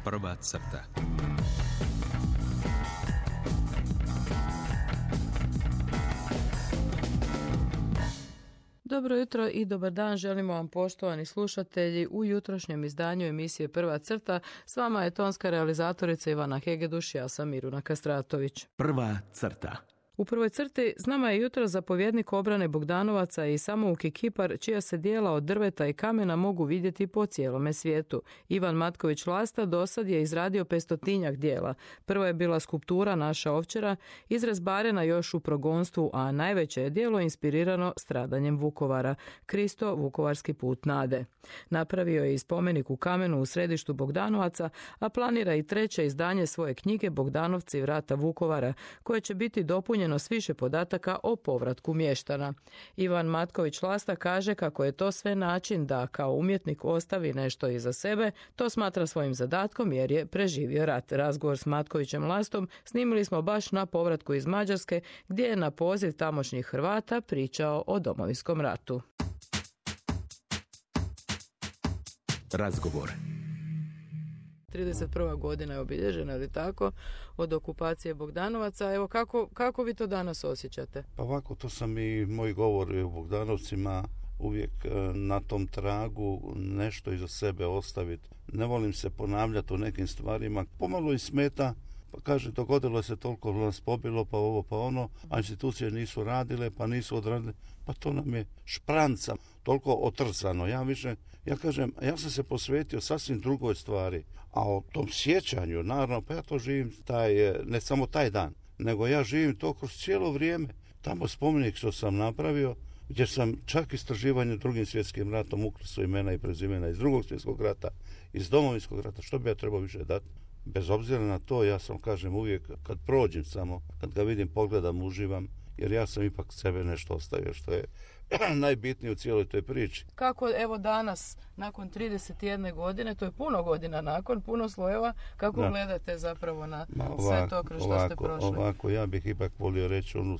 Prva crta. Dobro jutro i dobar dan želimo vam, poštovani slušatelji, u jutrošnjem izdanju emisije Prva crta. S vama je tonska realizatorica Ivana Hegeduš, ja sam Miruna Kastratović. Prva crta. U prvoj crti s nama je jutro zapovjednik obrane Bogdanovaca i samouki kipar čija se dijela od drveta i kamena mogu vidjeti po cijelome svijetu. Ivan Matković Lasta dosad je izradio 500-tinjak dijela. Prvo je bila skulptura Naša ovčara, izrazbarena još u progonstvu, a najveće je dijelo inspirirano stradanjem Vukovara, Kristo, Vukovarski put nade. Napravio je i spomenik u kamenu u središtu Bogdanovaca, a planira i treće izdanje svoje knjige Bogdanovci vrata Vukovara, koje će biti dopunjeno s više podataka o povratku mještana. Ivan Matković Lasta kaže kako je to sve način da kao umjetnik ostavi nešto iza sebe. To smatra svojim zadatkom jer je preživio rat. Razgovor s Matkovićem Lastom snimili smo baš na povratku iz Mađarske, gdje je na poziv tamošnjih Hrvata pričao o Domovinskom ratu. Razgovor. 31. godina je obilježena, ili tako, od okupacije Bogdanovaca. Evo, kako vi to danas osjećate? Pa ovako, to sam i moji govori o Bogdanovcima uvijek na tom tragu nešto iza sebe ostaviti. Ne volim se ponavljati o nekim stvarima. Pomalo i smeta, pa kaže, dogodilo se toliko nas pobilo, pa ovo, pa ono, a institucije nisu radile, pa nisu odradile, pa to nam je špranca, toliko otrcano. Ja kažem, ja sam se posvetio sasvim drugoj stvari, a o tom sjećanju, naravno, pa ja to živim ne samo taj dan, nego ja živim to kroz cijelo vrijeme. Tamo spomenik što sam napravio, gdje sam čak istraživanje Drugim svjetskim ratom uklesao imena i prezimena iz Drugog svjetskog rata, iz Domovinskog rata, što bi ja trebao više dati? Bez obzira na to, ja sam, kažem, uvijek kad prođem samo, kad ga vidim, pogledam, uživam, jer ja sam ipak sebe nešto ostavio, što je najbitnije u cijeloj toj priči. Kako, evo danas, nakon 31 godine, to je puno godina nakon, puno slojeva, kako gledate zapravo na sve to kroz što ste prošli? Ovako, ja bih ipak volio reći onu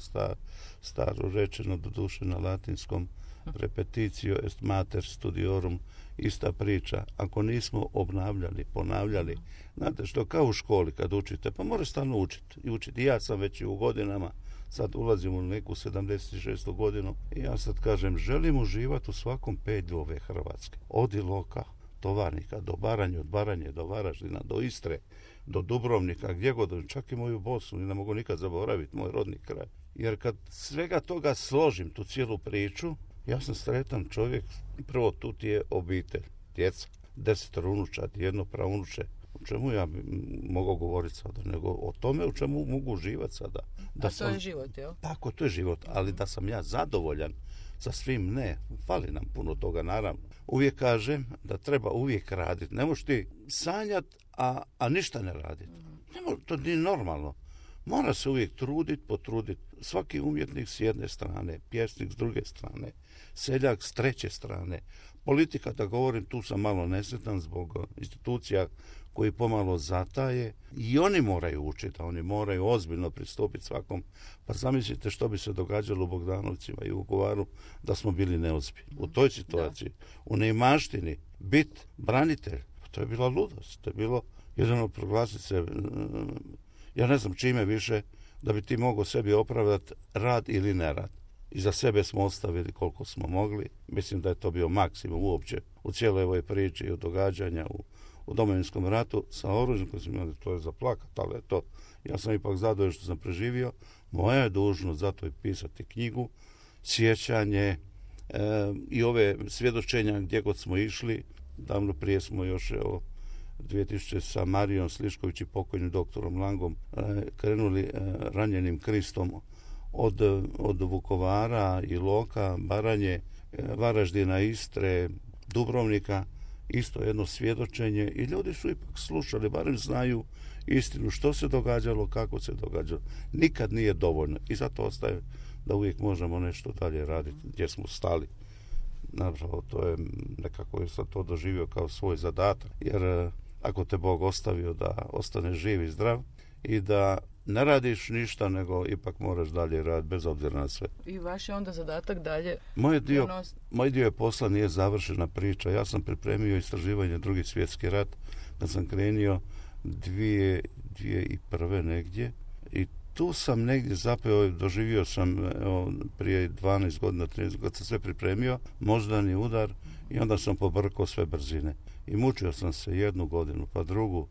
staru rečeno, doduše na latinskom, repetitio est mater studiorum, ista priča. Ako nismo obnavljali, ponavljali, znate što, kao u školi kad učite, pa moraš stalno učiti. I ja sam već u godinama, sad ulazim u neku 76. godinu i ja sad kažem, želim uživati u svakom pedlju ove Hrvatske. Od Iloka, Tovarnika, do Baranje, od Baranje do Varaždina, do Istre, do Dubrovnika, gdje god, čak i moju Bosnu, i ne mogu nikad zaboraviti moj rodni kraj. Jer kad svega toga složim, tu cijelu priču, ja sam sretan čovjek. Prvo, tu ti je obitelj, djeca, 10 unučad, jedno praunuče. O čemu ja bi mogao govoriti sada, nego o tome u čemu mogu uživati sada. To je život, jel? Tako, to je život, ali da sam ja zadovoljan sa svim, ne, fali nam puno toga, naravno. Uvijek kažem da treba uvijek raditi. Ne možeš ti sanjati, a ništa ne raditi. To nije normalno. Mora se uvijek potruditi. Svaki umjetnik s jedne strane, pjesnik s druge strane, seljak s treće strane. Politika, da govorim, tu sam malo nesretan zbog institucija koji pomalo zataje. I oni moraju učiti, oni moraju ozbiljno pristupiti svakom. Pa zamislite što bi se događalo u Bogdanovcima i u Vukovaru da smo bili neozbiljni. U toj situaciji, u neimaštini, biti branitelj, to je bila ludost. To je bilo jedino proglasiti se, ja ne znam čime više, da bi ti mogao sebi opravdati rad ili nerad. I za sebe smo ostavili koliko smo mogli. Mislim da je to bio maksimum uopće u cijeloj ovoj priči i od događanja u Domovinskom ratu sa oružjem koji smo imali. To je za plakat, ali to, ja sam ipak zadovoljan što sam preživio. Moja je dužnost zato i pisati knjigu, sjećanje i ove svjedočenja gdje god smo išli. Davno prije smo još 2000 sa Marijom Slišković i pokojnim doktorom Langom krenuli ranjenim Kristom od Vukovara, Iloka, Baranje, Varaždina, Istre, Dubrovnika, isto jedno svjedočenje i ljudi su ipak slušali, barem znaju istinu što se događalo, kako se događalo. Nikad nije dovoljno i zato ostaje da uvijek možemo nešto dalje raditi gdje smo stali. Naravno, to je nekako je sad to doživio kao svoj zadatak, jer ako te Bog ostavio da ostane živ i zdrav i da ne radiš ništa, nego ipak moraš dalje raditi, bez obzira na sve. I vaš je onda zadatak dalje? Moj dio posla nije završena priča. Ja sam pripremio istraživanje Drugi svjetski rat, kad sam krenio 2001. negdje. I tu sam negdje zapeo, doživio sam prije 12 godina, 13 godina, kad sam sve pripremio, moždani udar i onda sam pobrkao sve brzine. I mučio sam se 1 godinu, pa drugu.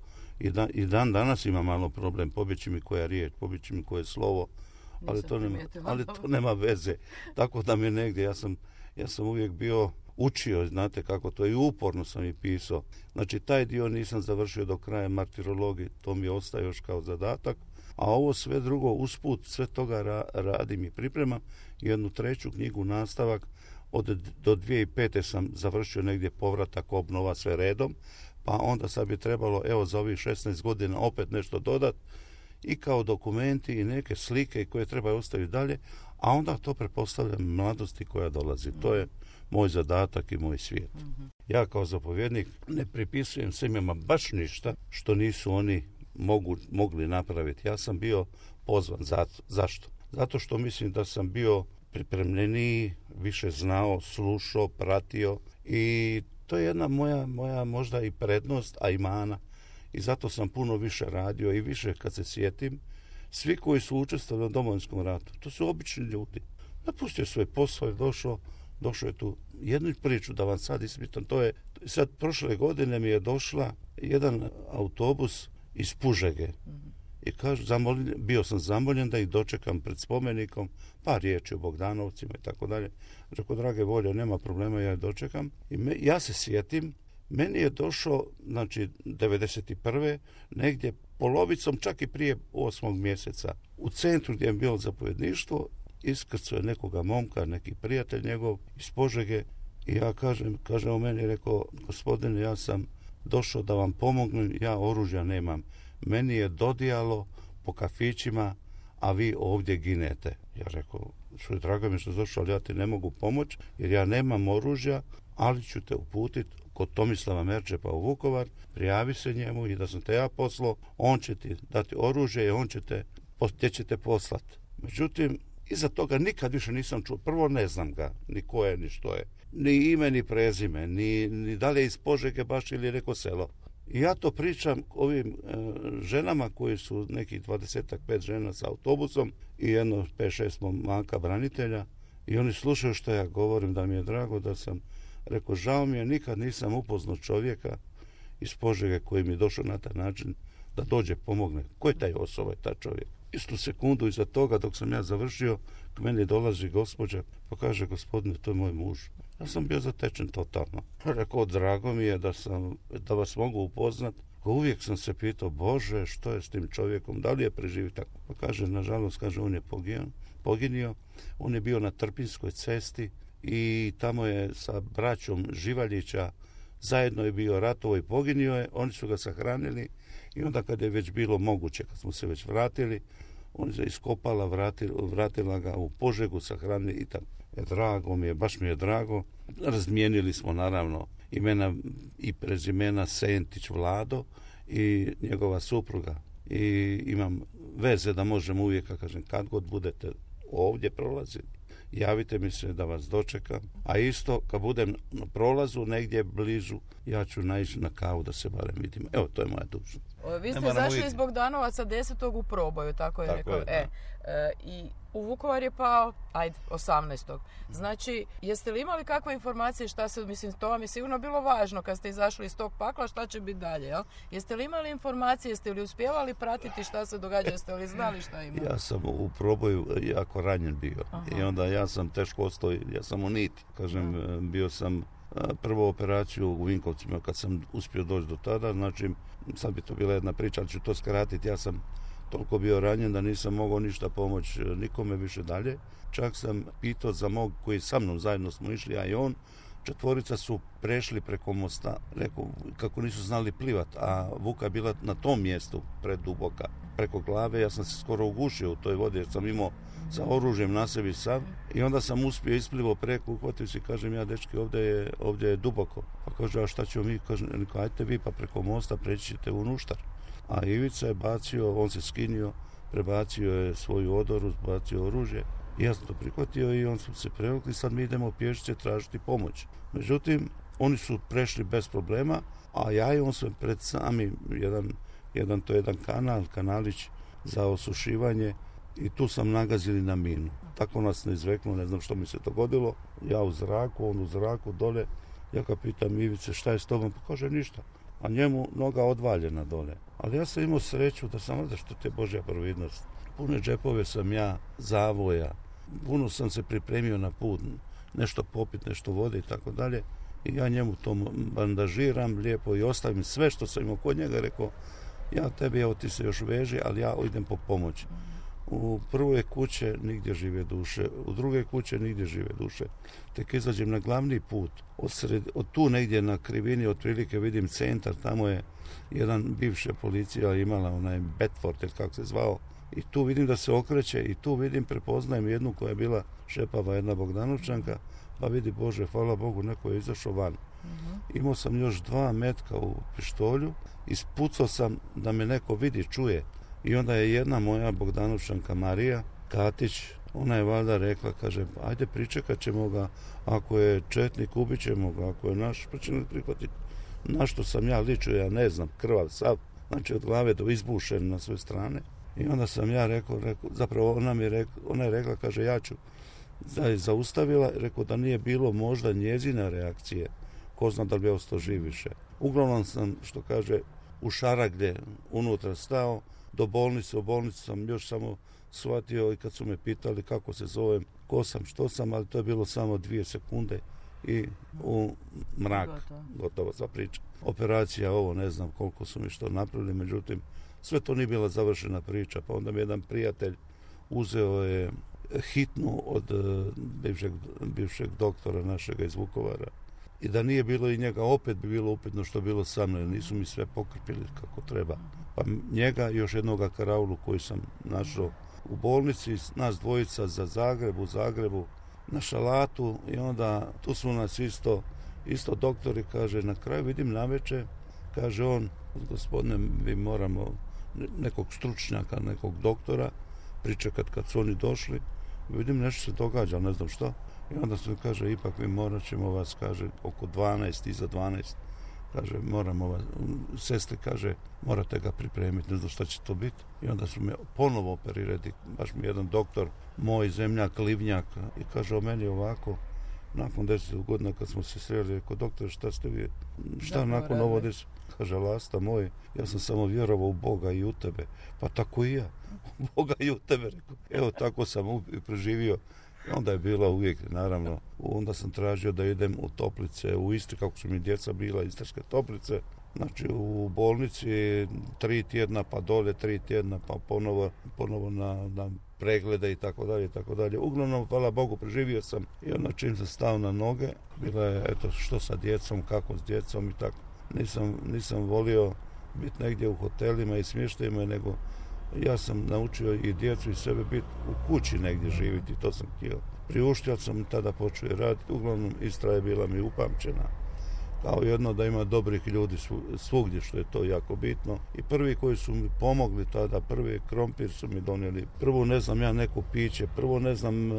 I dan danas ima malo problem, pobjeći mi koja riječ, pobjeći mi koje slovo, ali to nema veze. Tako da mi negdje, ja sam uvijek bio učio, znate kako to je, i uporno sam i pisao. Znači, taj dio nisam završio do kraja, martirologije, to mi ostaje još kao zadatak, a ovo sve drugo usput, sve toga radim i pripremam. 1. 3. knjigu, nastavak, do 2005. sam završio negdje povratak, obnova, sve redom, pa onda sad bi trebalo, evo, za ovih 16 godina opet nešto dodati, i kao dokumenti i neke slike koje treba ostaviti dalje, a onda to pretpostavljam mladosti koja dolazi. To je moj zadatak i moj svijet. Ja kao zapovjednik ne pripisujem svima baš ništa što nisu oni mogli napraviti. Ja sam bio pozvan. Zašto? Zato što mislim da sam bio pripremljeniji, više znao, slušao, pratio, i to je jedna moja možda i prednost, a i mana. I zato sam puno više radio i više, kad se sjetim, svi koji su učestvovali u Domovinskom ratu, to su obični ljudi. Napustio svoj posao i došao je tu. Jednu priču da vam sad ispričam, to je, sad prošle godine mi je došla jedan autobus iz Požege. I kaže, bio sam zamoljen da ih dočekam pred spomenikom, par riječi o Bogdanovcima i tako dalje. Rekao, drage volje, nema problema, ja je dočekam. I ja se sjetim, meni je došao, znači, 91. negdje polovicom, čak i prije 8. mjeseca. U centru gdje je bilo zapovjedništvo, iskrcuje nekoga momka, neki prijatelj njegov iz Požege, i ja kaže o meni, rekao, gospodine, ja sam došao da vam pomognem, ja oružja nemam. Meni je dodijalo po kafićima, a vi ovdje ginete. Ja rekao, što je drago mi što je došao, ali ja ti ne mogu pomoći, jer ja nemam oružja, ali ću te uputiti kod Tomislava Merčepa u Vukovar, prijavi se njemu, i da sam te ja poslao, on će ti dati oružje i on će te poslati. Međutim, iza toga nikad više nisam čuo. Prvo, ne znam ga, ni ko je, ni što je. Ni ime, ni prezime, ni da li je iz Požege baš ili neko selo. I ja to pričam ovim ženama koji su nekih 25 žena sa autobusom i jedno 5-6 momaka branitelja, i oni slušaju što ja govorim, da mi je drago da sam rekao, žao mi je, nikad nisam upoznao čovjeka iz Požege koji mi je došao na taj način da dođe pomogne. Ko je taj osoba, taj čovjek? Istu sekundu iza toga, dok sam ja završio, k meni dolazi gospođa, pa kaže, gospodine, to je moj muž. Ja sam bio zatečen totalno. Rekao, drago mi je da vas mogu upoznati. Uvijek sam se pitao, Bože, što je s tim čovjekom, da li je preživio tako? Pa kaže, nažalost, kaže, on je poginio. On je bio na Trpinskoj cesti i tamo je sa braćom Živaljića zajedno je bio ratovo i poginio je. Oni su ga sahranili i onda kad je već bilo moguće, kad smo se već vratili, on je iskopala, vratila ga u Požegu, sahranili i tamo. Drago mi je, baš mi je drago. Razmijenili smo naravno imena i prezimena Sentić Vlado i njegova supruga. I imam veze da možemo uvijek, kažem, kad god budete ovdje prolazili, javite mi se da vas dočekam. A isto, kad budem na prolazu negdje blizu, ja ću naići na kavu da se barem vidimo. Evo, to je moja dužnost. Vi ste zašli iz Bogdanovaca 10. u proboju, tako je rekao. I u Vukovar je pao, 18. Znači, jeste li imali kakve informacije šta se, mislim, to vam je sigurno bilo važno kad ste izašli iz tog pakla, šta će biti dalje, jel? Jeste li imali informacije, jeste li uspjevali pratiti šta se događa, jeste li znali šta ima? Ja sam u proboju jako ranjen bio. I onda ja sam teško ostao, ja sam u niti. Kažem, bio sam prvu operaciju u Vinkovcima kad sam uspio doći do tada, znači sad bi to bila jedna priča, ali ću to skratiti. Ja sam toliko bio ranjen da nisam mogao ništa pomoći nikome više dalje. Čak sam pitao za mog koji sa mnom zajedno smo išli, ja i on. 4 su prešli preko mosta, rekao, kako nisu znali plivat, a Vuka je bila na tom mjestu preduboka. Preko glave ja sam se skoro ugušio u toj vodi jer sam imao sa oružjem na sebi sav i onda sam uspio isplivo preko, uhvatio se i kažem, ja dečki, ovdje je duboko. Pa kaže, a šta ćemo mi? Kažem, ajte vi pa preko mosta preći ćete u Nuštar. A Ivica je bacio, on se skinio, prebacio je svoju odoru, bacio oružje. I ja sam to prihvatio i on su se prevukli, sad mi idemo pješice tražiti pomoć. Međutim, oni su prešli bez problema, a ja i on sam pred sami jedan kanalić za osušivanje i tu sam nagazili na minu. Tako nas ne izveklo, ne znam što mi se dogodilo. Ja u zraku, on u zraku dole. Ja ga pitam, Ivice, šta je s tobom? Pa kaže, ništa. A njemu noga odvaljena dole. Ali ja sam imao sreću da sam da što te Božja providnost. Pune džepove sam ja zavoja. Puno sam se pripremio na put. Nešto popit, nešto vode i tako dalje. I ja njemu to bandažiram lijepo i ostavim sve što sam imao kod njega. Rekao, ja tebi, evo ti se još veži, ali ja idem po pomoć. U prvoj kuće nigdje žive duše, u druge kuće nigdje žive duše. Tek izađem na glavni put, od tu negdje na krivini otprilike vidim centar, tamo je jedan bivša policija imala, onaj Bedford ili kako se zvao, i tu vidim da se okreće i tu vidim, prepoznajem jednu koja je bila šepava, jedna Bogdanovčanka, pa vidi, Bože, hvala Bogu, neko je izašao van. Imao sam još 2 metka u pištolju, ispucao sam da me neko vidi, čuje. I onda je jedna moja Bogdanovčanka Marija Katić, ona je valjda rekla, kaže, ajde pričekat ćemo ga, ako je četnik ubit ćemo ga, ako je naš, pa ćemo prihvatiti. Na što sam ja ličio, ja ne znam, krvav sav, znači od glave do izbušen na sve strane. I onda sam ja rekao, zapravo ona je rekla, kaže, ja ću, zaustavila, rekao da nije bilo možda njezina reakcije, ko zna da li bi ostao živ više. Uglavnom sam, što kaže, u šaraglje unutra stao, do bolnice, u bolnici sam još samo shvatio i kad su me pitali kako se zovem, ko sam, što sam, ali to je bilo samo 2 sekunde i u mrak, gotovo za priča. Operacija, ovo ne znam koliko su mi što napravili, međutim, sve to nije bila završena priča, pa onda mi jedan prijatelj uzeo je hitnu od bivšeg doktora našega iz Vukovara. I da nije bilo i njega, opet bi bilo upitno što bilo sa mnom, nisu mi sve pokrpili kako treba. Pa njega i još jednoga karaulu koji sam našao u bolnici, nas dvojica za Zagreb, u Zagrebu, na šalatu i onda tu su nas isto doktori, kaže, na kraju vidim navečer, kaže on, gospodine, mi moramo nekog stručnjaka, nekog doktora pričekat kad su oni došli, vidim nešto se događa, ne znam što. I onda se kaže, ipak mi morat ćemo vas, kaže, oko 12, iza 12, kaže, moramo vas, sestri, kaže, morate ga pripremiti, ne znam šta će to biti. I onda su me ponovo operirati, baš mi jedan doktor, moj zemljak, Livnjak, i kaže o meni ovako, nakon 10 godina kad smo se sreli, rekao, doktore, šta ste vi, šta nakon ovo desu? Kaže, Lasta moj, ja sam samo vjerovao u Boga i u tebe. Pa tako i ja, u Boga i u tebe, rekao. Evo, tako sam preživio. I onda je bila uvijek, naravno, onda sam tražio da idem u toplice, u Istri, kako su mi djeca bila, istarske toplice. Znači, u bolnici 3 tjedna, pa dole 3 tjedna, pa ponovo na preglede i tako dalje, i tako dalje. Uglavnom, hvala Bogu, preživio sam i onda čim sam stao na noge, bila je, eto, što sa djecom, kako s djecom i tako. Nisam volio biti negdje u hotelima i smještajima, nego ja sam naučio i djecu i sebe biti u kući negdje živjeti, to sam htio. Priuštio sam tada počeo raditi, uglavnom Istra je bila mi upamćena. Kao jedno da ima dobrih ljudi svugdje, što je to jako bitno. I prvi koji su mi pomogli tada, prvi krompir su mi donijeli. Prvo ne znam ja neko piće, prvo ne znam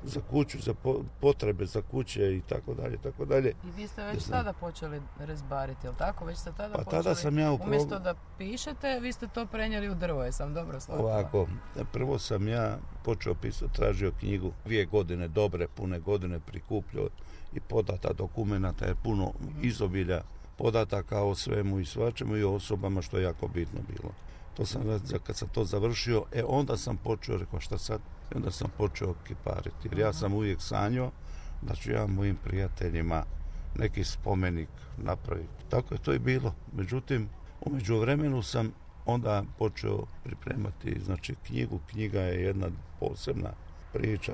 za kuću, za potrebe za kuće i tako dalje, tako dalje. I vi ste već tada počeli rezbariti, jel tako? Već ste tada počeli, tada sam ja umjesto da pišete, vi ste to prenijeli u drvo, jesam dobro shvatila? Ovako, prvo sam ja počeo pisati, tražio knjigu, 2 godine, dobre, pune godine prikupljao i podata dokumenata je puno izobilja podataka o svemu i svačemu i o osobama, što je jako bitno bilo. To sam, kad sam to završio, onda sam počeo, rekao šta sad? I onda sam počeo kipariti, jer ja sam uvijek sanjao da ću ja mojim prijateljima neki spomenik napraviti. Tako je to i bilo. Međutim, u međuvremenu sam onda počeo pripremati, znači, knjigu. Knjiga je jedna posebna priča.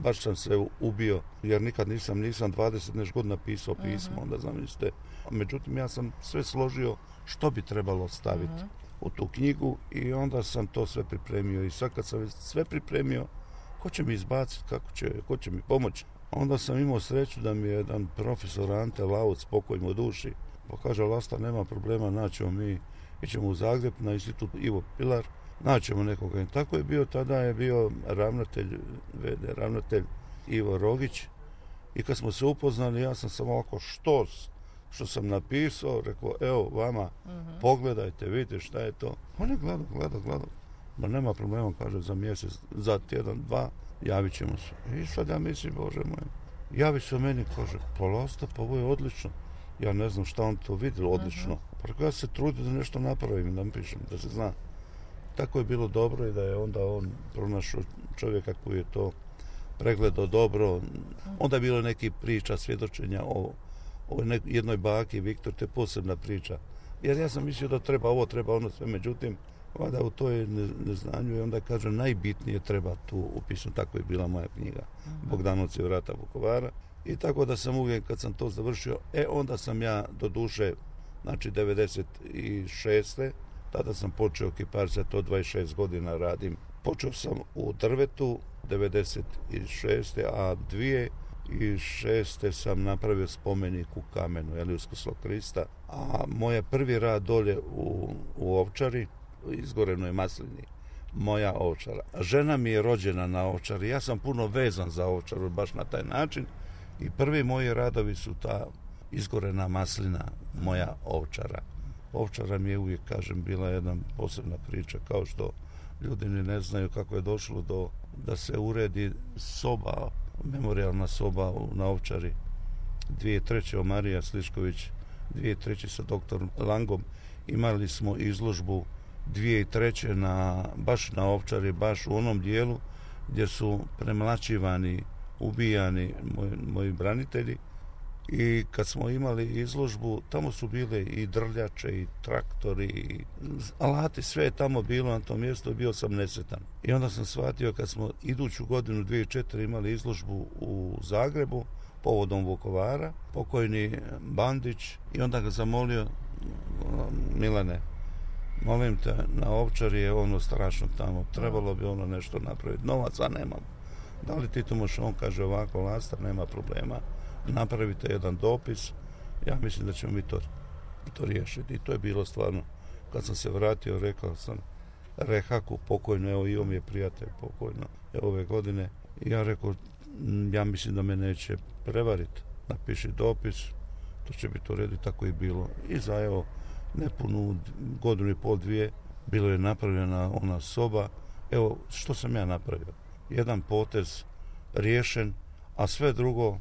Baš sam se ubio, jer nikad nisam 20 nešto godina pisao pismo, onda zamislite. Međutim, ja sam sve složio što bi trebalo staviti u tu knjigu i onda sam to sve pripremio. I sad kad sam sve pripremio, ko će mi izbaciti, ko će mi pomoći? Onda sam imao sreću da mi je jedan profesor Ante Lauc, pokoj mu duši, pa kaže, Lasta, nema problema, naćemo mi, ićemo u Zagreb na institut Ivo Pilar, naćemo nekoga. I tako je bio, tada je bio ravnatelj Ivo Rogić. I kad smo se upoznali, ja sam samo ovako što sam napisao, rekao, evo vama, pogledajte, vidite šta je to. On je gledao. Ma nema problema, kaže, za mjesec, za tjedan, dva, javit ćemo se. I sad ja mislim, Bože moj, javi se meni, kaže, polasta, pa ovo je odlično. Ja ne znam šta on to vidio odlično. Pa ja se trudim da nešto napravim, da napišem, da se zna. Tako je bilo dobro i da je onda on pronašao čovjeka koji je to pregledao dobro. Onda je bilo neki priča, svjedočenja o jednoj baki, Viktor, to je posebna priča. Jer ja sam mislio da treba ovo, treba ono sve, međutim, valjda u toj neznanju i onda kaže najbitnije treba tu upisati. Tako je bila moja knjiga Bogdanovci vrata Vukovara. I tako da sam uvijek kad sam to završio, onda sam ja do duše, znači 96. Tada sam počeo kiparce, to 26 godina radim. Počeo sam u drvetu 96. a 2006. sam napravio spomenik u kamenu, Uskrslo Krista. A moj prvi rad dolje u Ovčari, izgorenoj maslini, moja Ovčara. Žena mi je rođena na Ovčari, ja sam puno vezan za Ovčaru baš na taj način i prvi moji radovi su ta izgorena maslina, moja Ovčara. Ovčara mi je uvijek, kažem, bila jedna posebna priča, kao što ljudi ni ne znaju kako je došlo da se uredi soba, memorijalna soba na Ovčari. 2003. Marija Slišković, 2003. sa doktorom Langom imali smo izložbu 2003. baš na Ovčari, baš u onom dijelu gdje su premlaćivani, ubijani moji branitelji. I kad smo imali izložbu, tamo su bile i drljače, i traktori, i alati, sve je tamo bilo na tom mjestu, bio sam nesretan. I onda sam shvatio kad smo iduću godinu 2004 imali izložbu u Zagrebu, povodom Vukovara, pokojni Bandić, i onda ga zamolio, Milane, molim te, na Ovčari je ono strašno tamo, trebalo bi ono nešto napraviti, novaca nemam. Da li ti to možeš? On kaže ovako, Lastar, nema problema, napravite jedan dopis, ja mislim da ćemo mi to riješiti. I to je bilo stvarno, kad sam se vratio, rekao sam Rehaku pokojno, evo i on je prijatelj pokojno, ove godine, i ja rekao, ja mislim da me neće prevariti, napiši dopis, to će biti u redu. Tako je bilo. I za evo nepunu godinu i pol, dvije, bilo je napravljena ona soba. Evo što sam ja napravio, jedan potez riješen, a sve drugo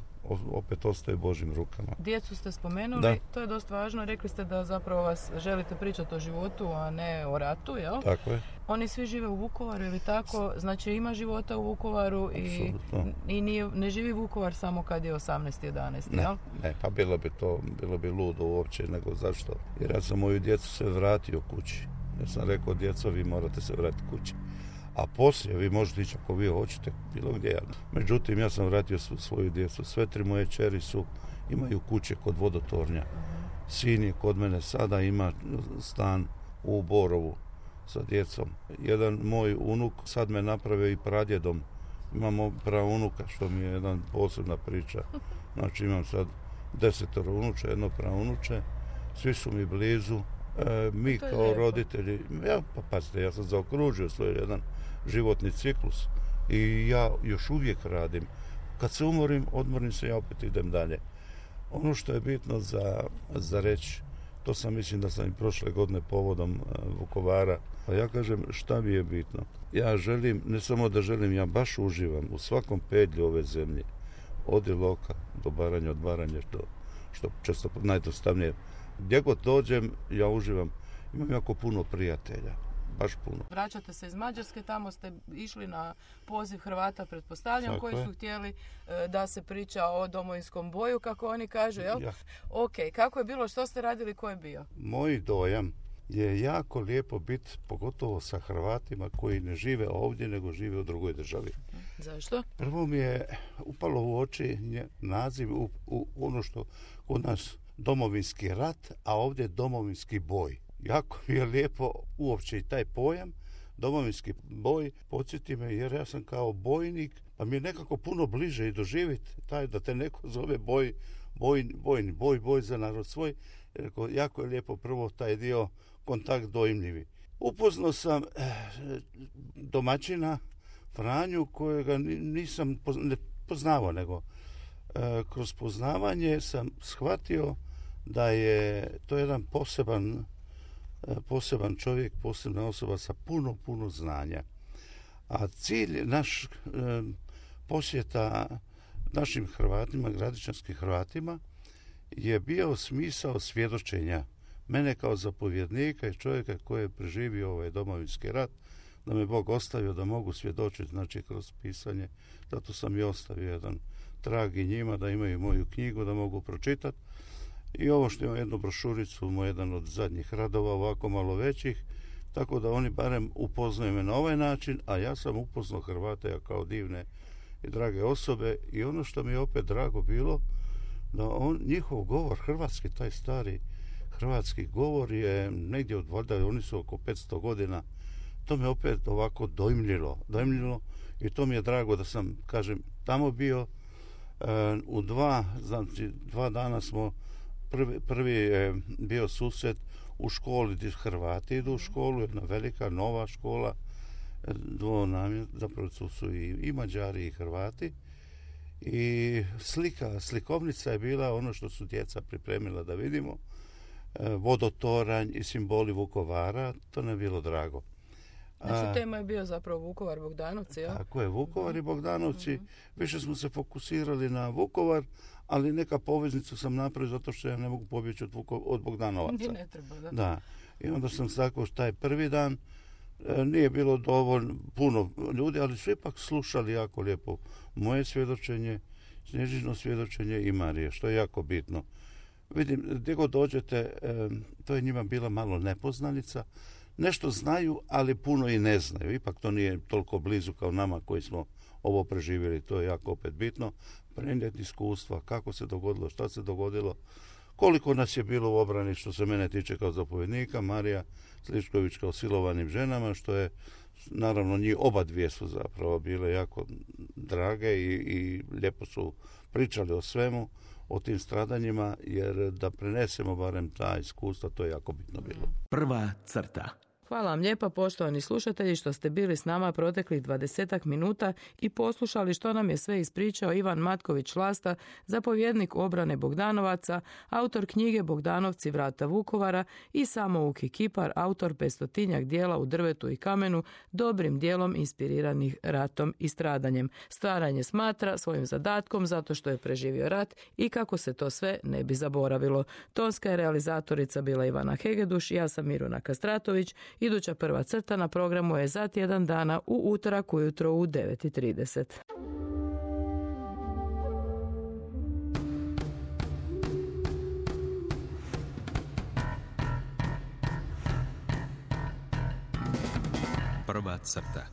opet ostaje Božjim rukama. Djecu ste spomenuli, da. To je dosta važno. Rekli ste da zapravo vas želite pričati o životu, a ne o ratu, jel? Tako je. Oni svi žive u Vukovaru, ili tako? Znači ima života u Vukovaru i ne živi Vukovar samo kad je 18.11. jel? Ne, pa bilo bi ludo uopće, nego zašto? Jer ja sam moju djecu se vratio kući. Ja sam rekao, djeco, vi morate se vratiti kući. A poslije vi možete ići ako vi hoćete, bilo gdje. Međutim, ja sam vratio svoju djecu. Sve tri moje kćeri imaju kuće kod Vodotornja. Sin je kod mene sada, ima stan u Borovu sa djecom. Jedan moj unuk sad me napravio i pradjedom. Imamo praunuka, što mi je jedan posebna priča. Znači imam sad 10 unuče, jedno praunuče. Svi su mi blizu. Mi kao roditelji, pazite, ja sam zaokružio svoj jedan životni ciklus i ja još uvijek radim. Kad se odmorim se, ja opet idem dalje. Ono što je bitno za reći, to sam, mislim da sam i prošle godine povodom Vukovara, a ja kažem šta mi je bitno. Ja želim, ne samo da želim, ja baš uživam u svakom pedlju ove zemlje, od Iloka do Baranja, od Baranja, što često najdostavnije. Gdje god dođem, ja uživam. Imam jako puno prijatelja, baš puno. Vraćate se iz Mađarske, tamo ste išli na poziv Hrvata, pretpostavljam, tako koji su htjeli da se priča o Domovinskom boju, kako oni kažu, jel? Ja. Ok, kako je bilo, što ste radili, ko je bio? Moj dojam je jako lijepo biti, pogotovo sa Hrvatima koji ne žive ovdje, nego žive u drugoj državi. Zašto? Prvo mi je upalo u oči naziv u ono što kod nas Domovinski rat, a ovdje Domovinski boj. Jako mi je lijepo uopće i taj pojam, Domovinski boj, podsjeti me, jer ja sam kao bojnik, pa mi je nekako puno bliže i doživjeti taj da te neko zove boj za narod svoj. Jako je lijepo prvo taj dio kontakt dojmljivi. Upoznao sam domaćina Franju kojega nisam ne poznavao, nego kroz poznavanje sam shvatio da je to jedan poseban čovjek, posebna osoba sa puno znanja. A cilj naš posjeta našim Hrvatima, gradišćanskim Hrvatima, je bio smisao svjedočenja mene kao zapovjednika i čovjeka koji je preživio ovaj Domovinski rat, da me Bog ostavio da mogu svjedočiti, znači kroz pisanje. Zato sam i ostavio jedan trag i njima, da imaju moju knjigu, da mogu pročitati. I ovo što imam jednu brošuricu, moj jedan od zadnjih radova, ovako malo većih, tako da oni barem upoznaju me na ovaj način, a ja sam upoznao Hrvate kao divne i drage osobe. I ono što mi je opet drago bilo, da njihov govor, hrvatski, taj stari hrvatski govor je negdje od valjda, oni su oko 500 godina, to me opet ovako dojmljilo i to mi je drago da sam, kažem, tamo bio. U dva dana smo, prvi je bio susret u školi gdje Hrvati idu u školu, jedna velika nova škola, zapravo su i Mađari i Hrvati. I slikovnica je bila ono što su djeca pripremila da vidimo, vodotoranj i simboli Vukovara, to nam je bilo drago. Znači, tema je bio zapravo Vukovar, Bogdanovci, ja? Tako je, Vukovar i Bogdanovci. Više smo se fokusirali na Vukovar, ali neka poveznicu sam napravio zato što ja ne mogu pobjeći od Bogdanovaca. Ne treba, da. I onda sam tako taj prvi dan, nije bilo dovoljno puno ljudi, ali su ipak slušali jako lijepo moje svjedočenje, Snježino svjedočenje i Marije, što je jako bitno. Vidim, gdje god dođete, to je njima bila malo nepoznanica. Nešto znaju, ali puno i ne znaju. Ipak to nije toliko blizu kao nama koji smo ovo preživjeli. To je jako opet bitno. Prenijeti iskustva, kako se dogodilo, šta se dogodilo, koliko nas je bilo u obrani što se mene tiče kao zapovjednika, Marija Sličković kao silovanim ženama, što je, naravno, njih oba dvije su zapravo bile jako drage i lijepo su pričali o svemu, o tim stradanjima, jer da prenesemo barem ta iskustva, to je jako bitno bilo. Prva crta. Hvala vam lijepa, poštovani slušatelji, što ste bili s nama proteklih 20 minuta i poslušali što nam je sve ispričao Ivan Matković-Lasta, zapovjednik obrane Bogdanovaca, autor knjige Bogdanovci, vrata Vukovara i samouki kipar, autor 500-tinjak dijela u drvetu i kamenu, dobrim dijelom inspiriranih ratom i stradanjem. Stvaranje smatra svojim zadatkom zato što je preživio rat i kako se to sve ne bi zaboravilo. Tonska je realizatorica bila Ivana Hegeduš, ja sam Miruna Kastratović. Iduća prva crta na programu je za tjedan dana u utorak ujutro u 9:30. Prva crta.